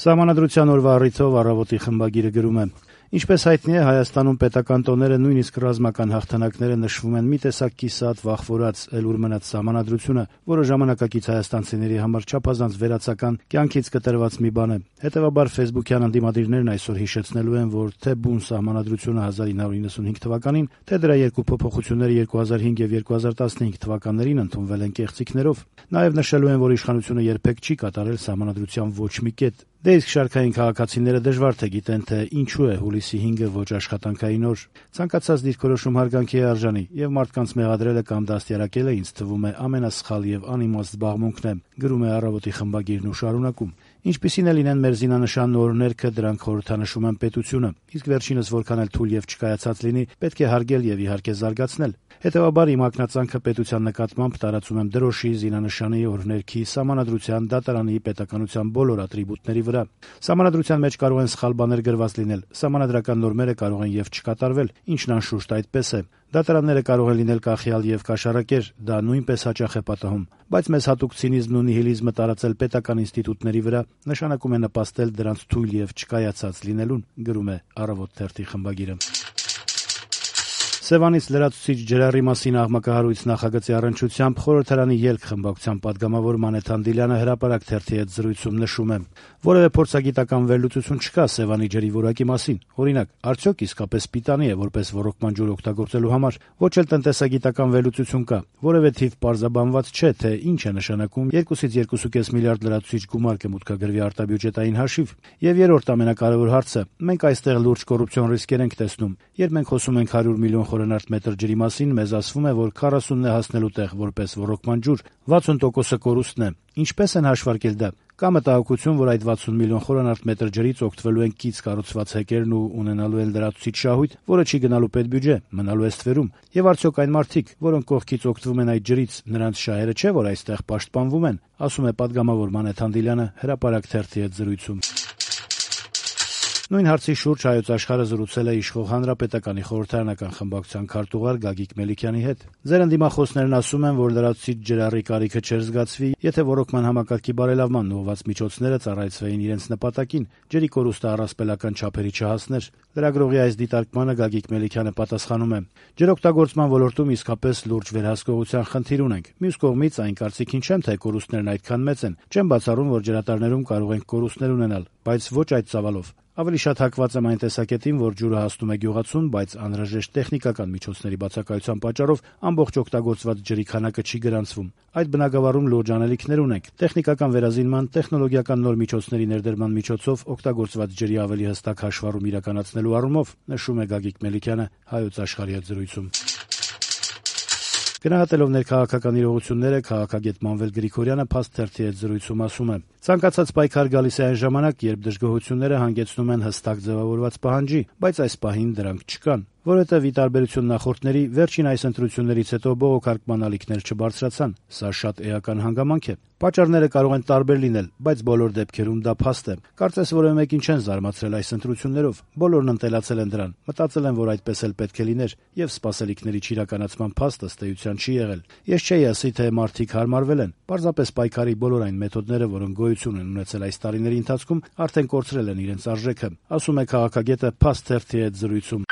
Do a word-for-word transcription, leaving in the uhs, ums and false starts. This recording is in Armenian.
Սահմանադրության օրվա առիթով «Առավոտ»-ի խմբագիրը գրում է. Ինչպես հայտնի է, Հայաստանում պետական տոները, նույնիսկ ռազմական հաղթանակները նշվում են մի տեսակ կիսատ, վախվորած, էլ-ուր մնաց սահմանադրությունը, որը ժամանակակից հայաստանցիների համար չափազանց վերացական, կյանքից կտրված մի բան է։ Հետևաբար ֆեյսբուքյան ընդդիմադիրներն այսօր հիշեցնելու են, որ թե բուն սահմանադրությունը հազար ինը հարյուր նվաթ թվականին, թե դրա երկու փոփոխությունները երկու հազար հինգ եւ երկու հազար տասնհինգ թվականներին ընդունվել են կեղծիքներով։ Նաև նշելու են, որ իշխանությունը երբեք չի կատարել սահմանադրության ոչ մի կետ։ Դե իսկ շարքային քաղաքացիները դժվար թե գիտեն, թե ինչու է հուլիսի հինգը ոչ աշխատանքային օր։ Ցանկացած դիրքորոշում հարգանքի է արժանի, եւ մարդկանց մեղադրելը կամ դաստիարակելը ինձ թվում է ամենասխալ եւ անիմաստ զբաղմունքն է, գրում է «Առավոտ»-ի խմբագիրն ու շարունակում. Ինչպիսին է լինեն մեր զինանշան օրհներգը, դրանք խորհրդանշում են պետությունը, իսկ վերջինս որքան էլ թույլ եւ չկայացած լինի, պետք է հարգել եւ իհարկե զարգացնել։ Հետևաբար իմ ակնածանքը պետության նկատմամբ տարածում եմ դրոշի, զինանշանի, օրհներգի, սահմանադրության, դատարանի, պետականության բոլոր ատրիբուտների վրա։ Սահմանադրության մեջ կարող են սխալ բաներ գրված լինել, սահմանադրական նորմերը կարող են եւ չկատարվել, ինչն անշուշտ այդպես է։ Դատարանները կարող են լինել կախյալ եւ կաշառակեր, դա նույնպես հաճախ է պատահում, բայց մեզ հատուկ ցինիզմն ու նիհիլիզմը տարածել պետական ինստիտուտների վրա նշանակում է նպաստել դրանց թույլ եւ չկայացած լինելուն, գրում է «Առավոտ» թերթի խմբագիրը։ Սևանից լրացուցիչ ջրառի մասին աղմկահարույց նախագծի առնչությամբ խորհրդարանի ելք խմբակցության падգամավոր Մանեթ Անդիլյանը հրապարակ թերթի հետ զրույցում նշում է. որևէ փորձագիտական վերլուծություն չկա Սևանի ջրի որակի մասին։ Օրինակ, արդյոք իսկապես պիտանի է որպես ոռոգման ջուր օգտագործելու համար, ոչ էլ տնտեսագիտական վերլուծություն կա։ Որևէ թիվ պարզաբանված չէ, թե ինչ է նշանակում երկուսից երկու կես միլիարդ լրացուցիչ գումար կմուտքագրվի արտաբյուջետային հաշիվ։ Եվ երրորդ ամենակարևոր հարցը, մենք այստեղ լուրջ կոռուպցիոն ռիսկեր ենք տեսնում։ Երբ մենք խոսում ենք հարյուր միլիոն խորանարդ մետր ջրի մասին, մեզ ասվում է, որ քառասունն է հասնելու տեղ որպես ոռոգման ջուր, վաթսուն տոկոսը կորուստն է։ Ինչպես են հաշվարկել դա։ Կա մտահոգություն, որ այդ վաթսուն միլիոն խորանարդ մետր ջրից օգտվելու են կից կառուցված հեկերն ու ունենալու են լրացուցիչ շահույթ, որը չի գնալու պետբյուջե, մնալու է ստվերում։ Եվ արդյոք այն մարդիկ, որոնք կողքից օգտվում են այդ ջրից, նրանց շահերը չէ, որ այստեղ պաշտպանվում են, ասում է падգամավոր Մանեթ Անդիլյանը հրապարակ թերթի հետ զրույցում։ Նույն հարցի շուրջ Հայոց Աշխարհը զրուցել է իշխող Հանրապետականի խորհրդարանական խմբակցության քարտուղար Գագիկ Մելիքյանի հետ։ Ձեր ընդդիմախոսներն ասում են, որ լրացուցիչ ջրառի կարիքը չէր զգացվի, եթե ոռոգման համակարգի բարելավման ուղղված միջոցները ծառայեցվեին իրենց նպատակին, ջրի կորուստը առասպելական չափերի չհասներ։ Լրագրողի այս դիտարկմանը Գագիկ Մելիքյանը պատասխանում է. ջրօգտագործման ոլորտում իսկապես լուրջ վերահսկողության խնդիր ունենք։ Մյուս կողմից այն կարծիքին չեմ, թե կորուստներն այդքան մեծ են։ Չեմ բացառում, որ ջրատարներում կարող ենք կորուստներ ունենալ, բայց ոչ այդ ծավալով։ Ավելի շատ հակված եմ այն տեսակետին, որ ջուրը հասնում է գյուղացուն, բայց անհրաժեշտ տեխնիկական միջոցների բացակայության պատճառով ամբողջ օգտագործված ջրի քանակը չի գրանցվում։ Այդ բնագավառում լուրջ անելիքներ ունենք։ Տեխնիկական վերազինման, տեխնոլոգիական նոր միջոցների ներդրման միջոցով օգտագործված ջրի ավելի հստակ հաշվառում իրականացնելու առումով, նշում է Գագիկ Մելիքյանը Հայոց Աշխարհի հետ զրույցում։ Գնահատելով ներքաղաքական իրողությունները, քաղաքագետ Մանվել Գրիգորյանը Փաստ թերթի հետ զրույցում ասում է. ցանկացած պայքար գալիս է այն ժամանակ, երբ դժգոհությունները հանգեցնում են հստակ ձևավորված պահանջի, բայց այս պահին դրանք չկան, որովհետև ի տարբերություն նախորդների, վերջին այս ընտրություններից հետո բողոքարկման ալիքներ չբարձրացան։ Սա շատ էական հանգամանք է։ Պատճառները կարող են տարբեր լինել, բայց բոլոր դեպքերում դա փաստ է։ Կարծես որևէ մեկին չեն զարմացրել այս ընտրություններով, բոլորն ընտելացել են դրան, մտածել են, որ այդպես էլ պետք է լիներ, եւ սպասելիքների չիրականացման փաստը ըստ էության չի եղել։ Ես չէի ասի, թե մարդիկ հարմարվել են, պարզապես պայքարի բոլոր այն մեթոդները, որոնք գոյություն են ունեցել այս տարիների ընթացքում, արդեն կորցրել են իրենց արժեքը, ասում է քաղաքագետը Փաստ թերթի հետ զրույցում։